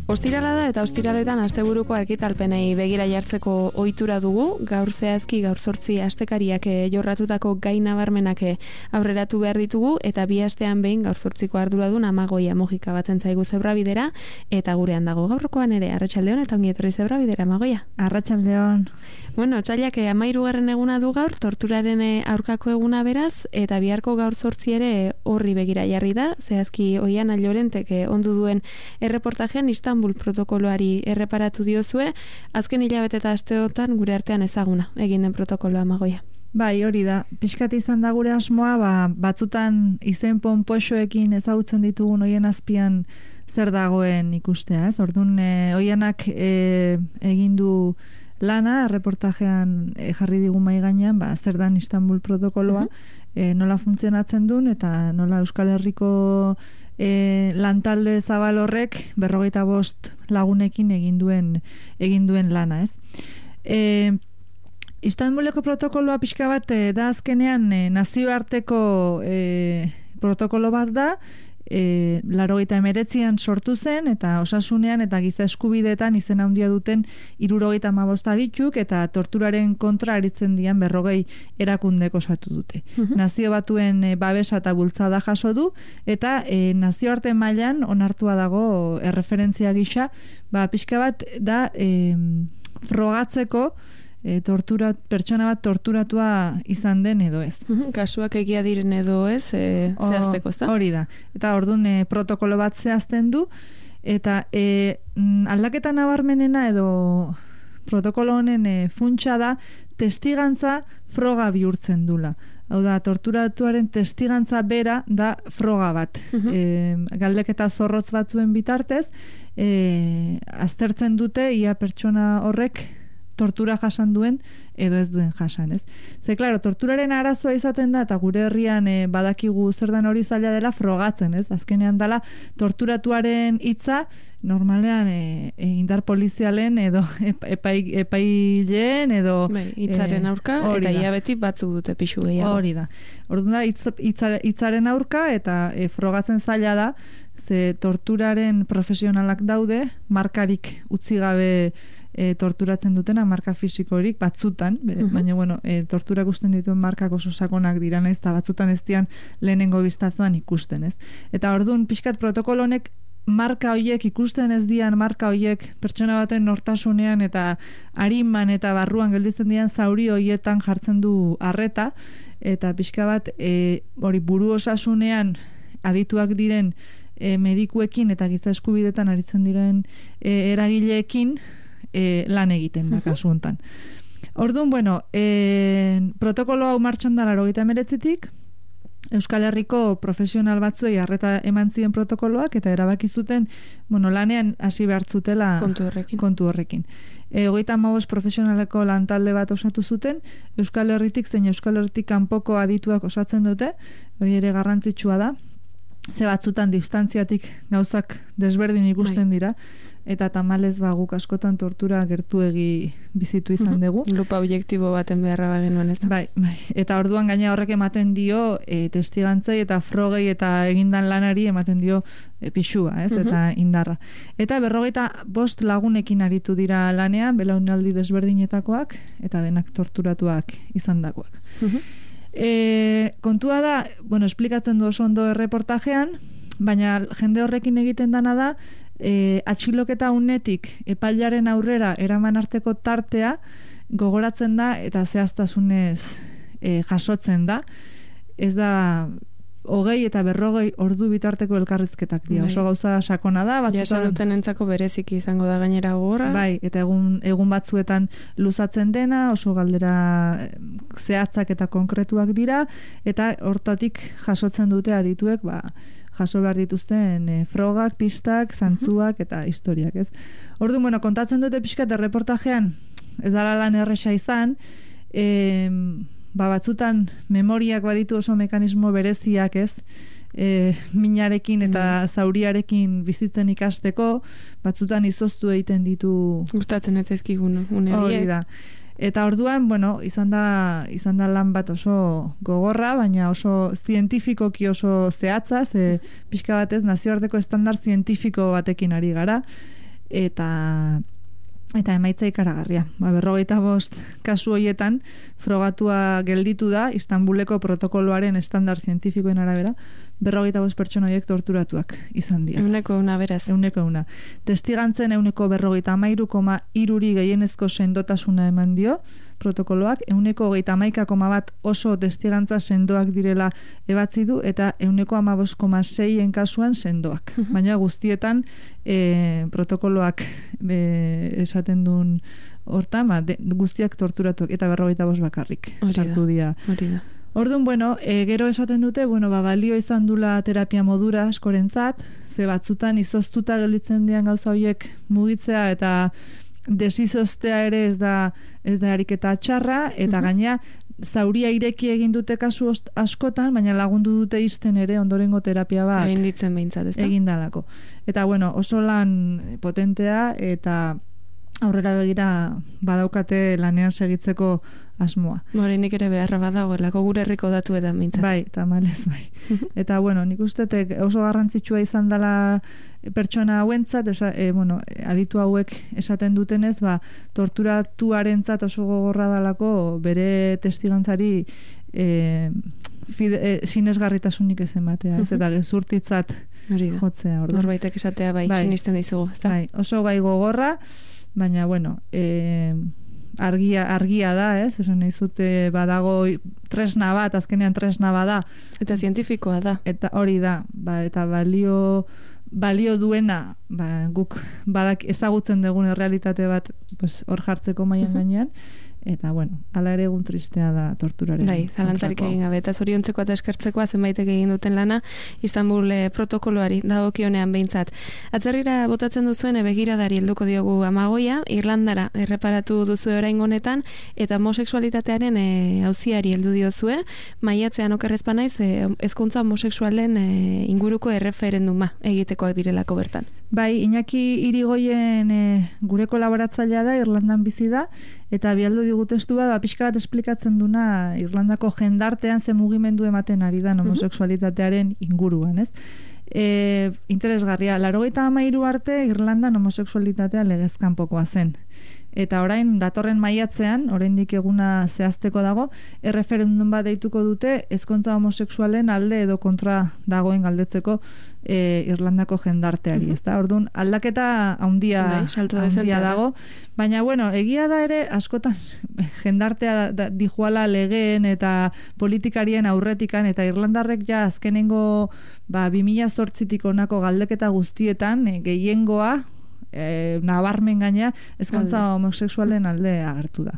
Ostirala da eta ostiraletan asteburuko argitalpenei begira jartzeko ohitura dugu. Gaur zehazki gaur 8 astekariak jorratutako gai nabarmenak aurreratu behar ditugu eta 2 astean behin gaur 8ko arduradun Amagoia Mojika batzen zaigu Zebrabidera eta gurean dago gaurkoan ere. Arratsaldeon eta ongi etorri Zebrabidera, Amagoia. Arratsaldeon. Bueno, otsailak 13. eguna du gaur, torturaren aurkako eguna beraz, eta biharko gaur 8 ere horri begira jarri da. Zehazki Oiana Llorentek ondu duen erreportajean Istanbul protokoloari erreparatu diozue, azken hilabete eta asteotan gure artean ezaguna egin den protokoloa, Amagoia. Bai, hori da. Pixkat izan da gure asmoa, batzutan izen ponpoxoekin ezagutzen ditugun hoien azpian zer dagoen ikustea, ez? Orduan, Oianak egin du lana, reportajean jarri digu mahai gainean, zer dan Istanbul protokoloa, nola funtzionatzen duen, eta nola Euskal Herriko lantalde zabal horrek 45 lagunekin egin duen lana, ez? Istanbuleko protokoloa pixka bat da azkenean nazioarteko protokolo bat da, 89an sortu zen eta osasunean eta giza eskubideetan izen handia duten 75 adituk eta torturaren kontra aritzen dian 40 erakundek osatu dute. Nazio Batuen babesa eta bultzada jaso du eta nazioarte mailan onartua dago erreferentzia gisa, pixka bat da frogatzeko pertsona bat torturatua izan den edo ez. Kasuak egia diren edo ez, zehazteko, ez da? Hori da. Eta orduan protokolo bat zehazten du, eta aldaketa nabarmenena edo protokolo honen funtsa da testigantza froga bihurtzen dula. Hau da, torturatuaren testigantza bera da froga bat. Galdeketa zorrotz batzuen bitartez, aztertzen dute ia pertsona horrek tortura jasan duen edo ez duen jasan, ez? Ze, klaro, torturaren arazoa izaten da, eta gure herrian badakigu zer dan hori zaila dela frogatzen, ez? Azkenean dela torturatuaren hitza normalean indar polizialen edo epaileen edo hitzaren aurka eta ia beti batzuk dute pixu gehiago. Hori da. Orduan da hitzaren aurka eta frogatzen zaila da, ze torturaren profesionalak daude, markarik utzi gabe torturatzen dutena, marka fisikorik batzutan, baina bueno, tortura ikusten dituen markak oso sakonak dira, naiz, eta batzutan ez dian lehenengo biztazoan ikusten, ez? Eta orduan pixkat protokolo honek marka hoiek ikusten ez dian marka hoiek pertsona baten nortasunean eta ariman eta barruan gelditzen dian zauri hoietan jartzen du arreta, eta pixka bat hori buru osasunean adituak diren medikuekin eta giza eskubidetan aritzen diren eragileekin lan egiten da kasu hontan. Orduan, bueno, protokolo hau martxan da 89tik, Euskal Herriko profesional batzuei arreta eman ziren protokoloak eta erabaki zuten, bueno, lanean hasi behar zutela kontu horrekin. 35 profesionaleko lantalde bat osatu zuten, Euskal Herritik zein Euskal Herritik kanpoko adituak osatzen dute, hori ere garrantzitsua da, ze batzutan distantziatik gauzak desberdin ikusten dira, eta tamalez guk askotan tortura gertuegi bizitu izan dugu. Lupa objektibo baten beharra bagenuen, ez da? Bai. Eta orduan gaina horrek ematen dio testigantzei eta frogei eta egindan lanari ematen dio pixua, ez? Eta indarra. Eta 45 lagunekin aritu dira lanean, belaunaldi desberdinetakoak, eta denak torturatuak izandakoak. Kontua da, bueno, esplikatzen du oso ondo erreportajean, baina jende horrekin egiten dana da, atxiloketa unetik epailaren aurrera eraman arteko tartea gogoratzen da eta zehaztasunez jasotzen da. Ez da 20 eta 40 ordu bitarteko elkarrizketak dira. Oso gauza sakona da. Jasan duten entzako bereziki izango da gainera gogorra. Bai, eta egun batzuetan luzatzen dena, oso galdera zehatzak eta konkretuak dira, eta hortatik jasotzen dute adituek, jaso behar dituzten frogak, pistak, zantzuak eta historiak, ez? Orduan, bueno, kontatzen dute pixkat erreportajean, ez dala lan erresa izan, batzutan memoriak baditu oso mekanismo bereziak, ez? Minarekin eta zauriarekin bizitzen ikasteko, batzutan izoztu egiten ditu... Gustatzen ez ezkigun, une horiek. Hori da. Eta orduan, bueno, izan da lan bat oso gogorra, baina oso zientifikoki oso zehatza, pixka batez nazioarteko estandar zientifiko batekin ari gara, eta emaitza ikaragarria. 45 kasu horietan frogatua gelditu da Istanbuleko protokoloaren estandar zientifikoen arabera, 45 pertsona horiek torturatuak izan dira. 100 beraz. 100. Testigantzen 153,3 gehienezko sendotasuna eman dio protokoloak, 131,1 oso testigantza sendoak direla ebatzi du, eta 115,6 kasuan sendoak. Baina guztietan protokoloak esaten duen hortan, guztiak torturatuak, eta 45 bakarrik sartu dira. Orduan, gero esaten dute, balio izan dula terapia modura askorentzat, ze batzutan izoztuta gelditzen dian gauza horiek mugitzea, eta desizostea ere ez da ariketa txarra, eta gaina zauria ireki egin dute kasu askotan, baina lagundu dute izten ere ondorengo terapia bat egin ditzen behintzat, ez da? Egin dalako. Eta oso lan potentea, eta aurrera begira badaukate lanean segitzeko asmoa. Nik ere beharra badagoelako gure herriko datuetan behintzat. Bai, tamalez, bai. Eta nik ustetek oso garrantzitsua izan dela pertsona hauentzat, aditu hauek esaten dutenez, torturatuarentzat oso gogorra dalako bere testigantzari sinesgarritasunik ez ematea, ez eta gezurtitzat jotzea. Norbaitek esatea sinisten dizugu, ez da? Bai, oso gai gogorra, baina, argia da, ez? Esan nahi zute badago tresna bat, azkenean tresna bada. Eta zientifikoa da. Eta hori da, eta balio duena, guk ezagutzen dugun realitate bat hor jartzeko mailan gainean, eta hala ere egun tristea da torturaren. Bai, zalantzarik egin gabe, eta zoriontzeko eta eskertzekoa zenbaitek egin duten lana Istanbul protokoloari dagokionean behintzat. Atzerrira botatzen duzuen begiradari helduko diogu Amagoia, Irlandara erreparatu duzue orain honetan, eta homosexualitatearen auziari heldu diozue, maiatzean okerrezpa naiz, ezkontza homosexualen inguruko erreferenduma egitekoak direlako bertan. Bai, Iñaki Irigoyen gure kolaboratzailea da, Irlandan bizi da, eta bialdu digu testu bat, pixka bat esplikatzen duna Irlandako jendartean ze mugimendu ematen ari da homosexualitatearen inguruan, ez? Interesgarria, 93 arte Irlandan homosexualitatea legezkanpokoa zen. Eta orain, datorren maiatzean, oraindik eguna zehazteko dago, erreferendum bat deituko dute ezkontza homosexualen alde edo kontra dagoen galdetzeko Irlandako jendarteari, ezta? Orduan, aldaketa handia dago, baina, egia da ere, askotan jendartea dijuala legeen eta politikarien aurretikan, eta Irlandarrek ja azkenengo 2008tik honako galdeketa guztietan, gehiengoa, nabarmen gaina ezkontza homosexualen alde agertu da.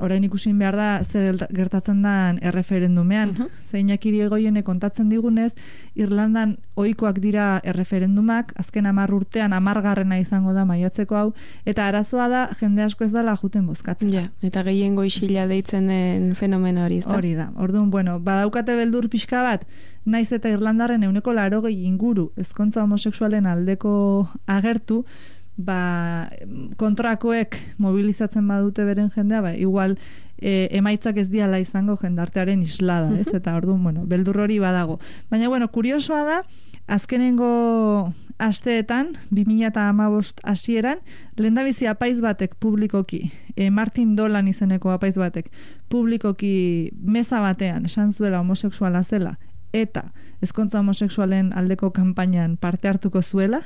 Orain ikusin behar da zer gertatzen den erreferendumean. Zeinak Irigoiene kontatzen digunez, Irlandan ohikoak dira erreferendumak, azken 10 urtean 10garrena izango da maiatzeko hau, eta arazoa da jende asko ez dela juten bozkatzen. Ja, eta gehiengo isila deitzen den fenomeno hori, ez da? Hori da. Orduan, badaukate beldur pixka bat, naiz eta Irlandarren 80 inguru ezkontza homosexualen aldeko agertu, kontrakoek mobilizatzen badute beren jendea, igual emaitzak ez diala izango jendartearen islada, ez? Eta orduan, beldur hori badago. Baina, kuriosoa da, azkenengo asteetan, 2015 hasieran, lehendabizi apaiz batek publikoki, Martin Dolan izeneko apaiz batek, publikoki meza batean esan zuela homosexuala zela, eta ezkontza homosexualen aldeko kanpainan parte hartuko zuela.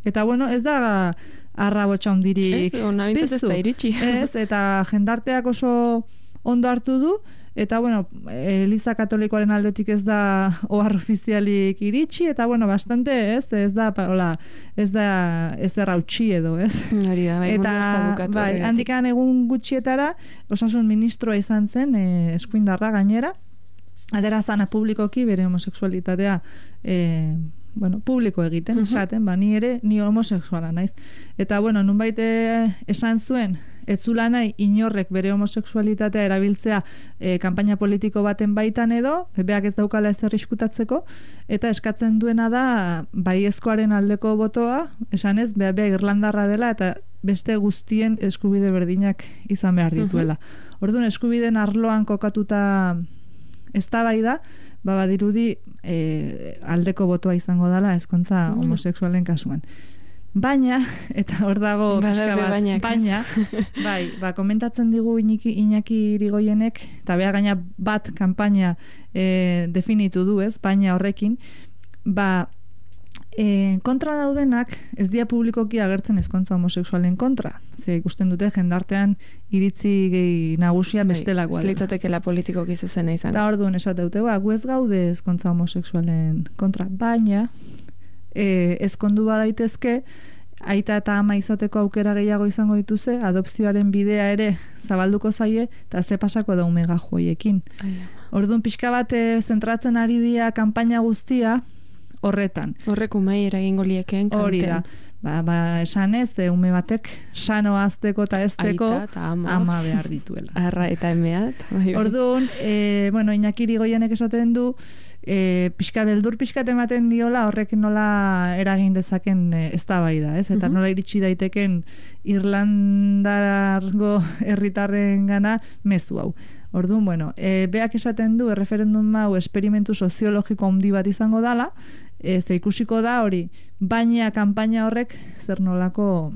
Eta, ez da arrabotxa hondirik piztu. Ez, eta jendarteak oso ondo hartu du, eta, Eliza Katolikoaren aldetik ez da ohar ofizialik iritsi, eta, bastante, ez da rautxi edo, ez? Hori da, eta, handikan egun gutxietara, osasun ministroa izan zen, eskuindarra gainera, aderazana publikoki bere homosexualitatea publiko egiten, esaten, ni homosexuala naiz. Eta, nunbait esan zuen, ez zula nahi inorrek bere homosexualitatea erabiltzea kanpaina politiko baten baitan edo, beak ez daukala ez arriskutatzeko, eta eskatzen duena da baiezkoaren aldeko botoa, esan ez, beak Irlandarra dela, eta beste guztien eskubide berdinak izan behar dituela. Orduan, eskubideen arloan kokatuta eztabaida, badirudi aldeko botoa izango dela ezkontza homosexualen kasuan. Baina, eta hor dago pixka bat, baina, bai, komentatzen digu Iñaki Irigoienek, eta beha gaina bat kanpaina definitu du, ez, baina horrekin, kontra daudenak ez dira publikoki agertzen ezkontza homosexualen kontra. Ze ikusten dute jendartean iritzi nagusia bestelakoa. Ez litzatekela politikoki zuzena izan. Da orduan esate dute, gu ez gaude ezkontza homosexualen kontra, baina ezkondu badaitezke aita eta ama izateko aukera gehiago izango dituze, adopzioaren bidea ere zabalduko zaie, eta ze pasako da umega joiekin. Orduan pixka bat zentratzen ari dira kanpaina guztia horretan. Horrek umei eragingo liekeen kanten. Hori da. Esan ez, ume batek sano azteko eta ezteko ama behar dituela. Arra eta emea. Orduan, Iñaki Irigoienek esaten du, beldur pixkat ematen diola horrek nola eragin dezaken eztabaida, ez? Eta nola iritsi daiteken Irlandargo herritarren gana mezu hau. Orduan, beak esaten du erreferendum hau esperimentu soziologiko handi bat izango dala, ze ikusiko da hori, baina kanpaina horrek zer nolako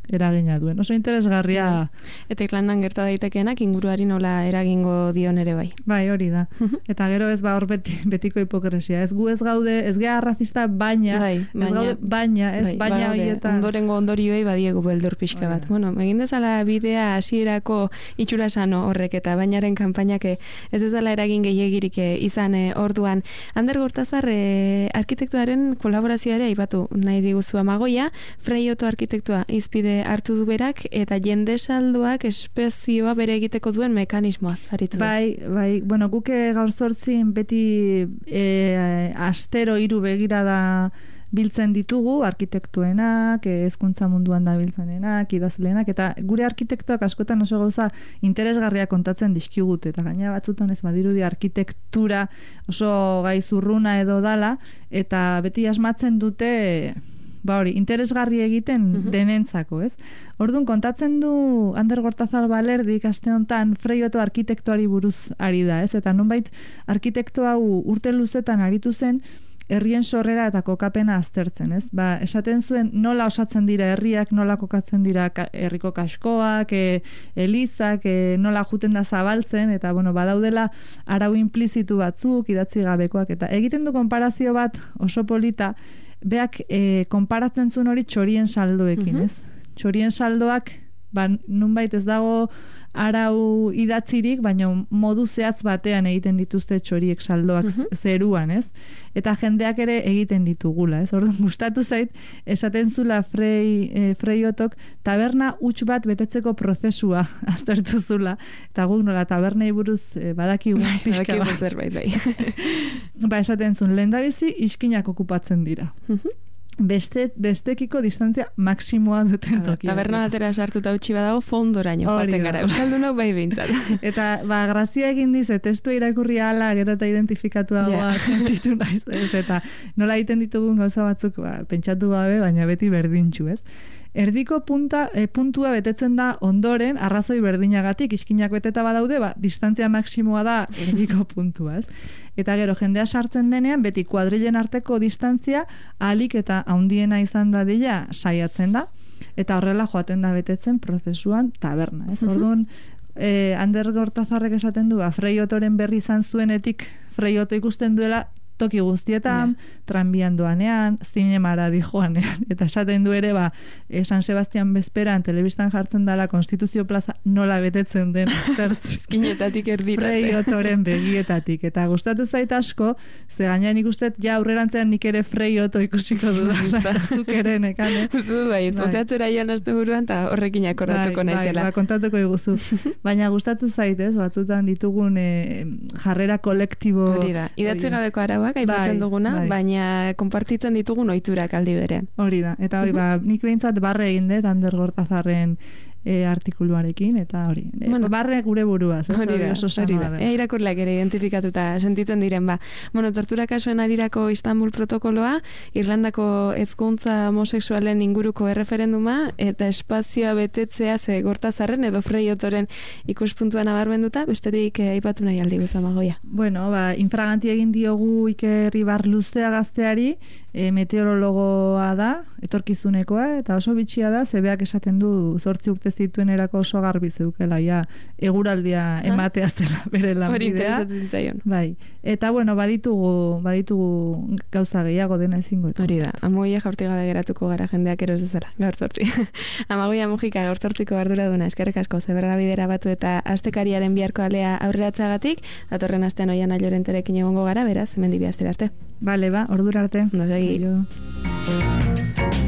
eragina duen. Oso interesgarria. Eta Irlandan gerta daitekenak inguruari nola eragingo dion ere bai. Bai, hori da. Eta gero ez hor betiko hipokresia. Ez gu ez gaude, ez gea arrazista, baina baina horietan. Ondorengo ondorioei badiegu beldur pixka bat. Bueno, egin dezala bidea hasierako itxura sano horrek eta bainaren kanpainak ez dezala eragin gehiegirik izan orduan. Ander Gortazar arkitektuaren kolaborazioa aipatu nahi diguzu Amagoia, Freioto arkitektua izpide hartu du berak, eta jende saldoak espezioa bere egiteko duen mekanismoaz aritu da. Bai, guk gaur zortzin beti astero 3 begirada biltzen ditugu, arkitektuenak, hezkuntza munduan da biltzenenak, idazlenak, eta gure arkitektuak askotan oso gauza interesgarria kontatzen dizkigut, eta gaina batzutan ez badirudi arkitektura oso gaizurruna edo dala, eta beti asmatzen dute interesgarri egiten denentzako, ez? Orduan, kontatzen du Ander Gortazar Balerdik aste honetan Freioto arkitektuari buruz ari da, ez? Eta nonbait arkitekto hau urte luzetan aritu zen herrien sorrera eta kokapena aztertzen, ez? Esaten zuen nola osatzen dira herriak, nola kokatzen dira herriko kaskoak, elizak, nola juten da zabaltzen, eta badaudela arau implizitu batzuk, idatzi gabekoak, eta egiten du konparazio bat oso polita, beak konparatzen zuen hori txorien saldoekin, ez? Txorien saldoak, nunbait ez dago arau idatzirik, baina modu zehatz batean egiten dituzte txoriek saldoak zeruan, ez? Eta jendeak ere egiten ditugula, ez? Orduan, gustatu zait, esaten zula Freiotok taberna huts bat betetzeko prozesua aztertu zula, eta guk nola tabernei buruz badakigu pixka bat. Esaten zuen, lehendabizi iskinak okupatzen dira. Bestekiko distantzia maksimoa duten tokia. Taberna batera sartuta utzi badago fondoraino joaten gara. Euskaldunok bai behintzat. Eta grazia egin dize, testu irakurri ala, gero eta identifikatu dagoa sentitu naiz, ez? Eta nola egiten ditugun gauza batzuk pentsatu gabe, baina beti berdintxu, ez? Erdiko puntua betetzen da ondoren, arrazoi berdinagatik, iskinak beteta badaude, distantzia maksimoa da erdiko puntua, ez? Eta gero, jendea sartzen denean, beti kuadrilen arteko distantzia ahalik eta handiena izan dadila saiatzen da, eta horrela joaten da betetzen prozesuan taberna, ez? Orduan, Ander Gortazarrek esaten du, Freiotoren berri izan zuenetik, Freioto ikusten duela toki guztietan, tranbian doanean, zinemara dijoanean, eta esaten du ere, San Sebastian bezperan telebistan jartzen dela Konstituzio plaza nola betetzen den eskinetatik erdirate. Freiotoren begietatik, eta gustatu zait asko, ze gainean ikustet, aurrerantzean nik ere Freioto ikusiko dudan, eta zuk ere nekane. Ezpoteatzera joan azte buruan, eta horrekin akordatuko naizela. Kontatuko iguzu. Baina gustatu zait, batzutan ditugun jarrera kolektibo. Hori da, idatzi gabeko araba aipatzen duguna, baina konpartitzen ditugun ohiturak aldi berean. Hori da, eta hori nik behintzat barre egin dut Ander Gortazarren artikuluarekin, eta hori. Barre gure buruaz. Hori da. Irakurleak ere identifikatuta sentitzen diren, tortura kasuen arirako Istanbul protokoloa, Irlandako hezkuntza homosexualen inguruko erreferenduma, eta espazioa betetzea ze Gortazarren edo Freiotoren ikuspuntua nabarmenduta, besterik aipatu nahi aldi guzti Amagoia. Infraganti egin diogu Iker Ibar Luzea gazteari, meteorologoa da, etorkizunekoa, eta oso bitxia da, zebeak esaten du 8 urte zituen erako oso garbi zeukela, ja, eguraldia ematea zela bere lanbidea. Hori interesatzen zaion. Bai, eta bueno, baditugu gauza gehiago dena ezingo. Hori da, amoia jaurti gabe geratuko gara jendeak eros dezala, gaur 8. Amagoia Mujika gaur 8ko arduraduna, eskerrik asko Zeberra bidera batu eta astekariaren biharko alea aurreratzagatik, datorren astean Oiana Llorenterekin egongo gara, beraz, hemen dibi astera arte. Bale, ordura arte. Ondo segi. Aio.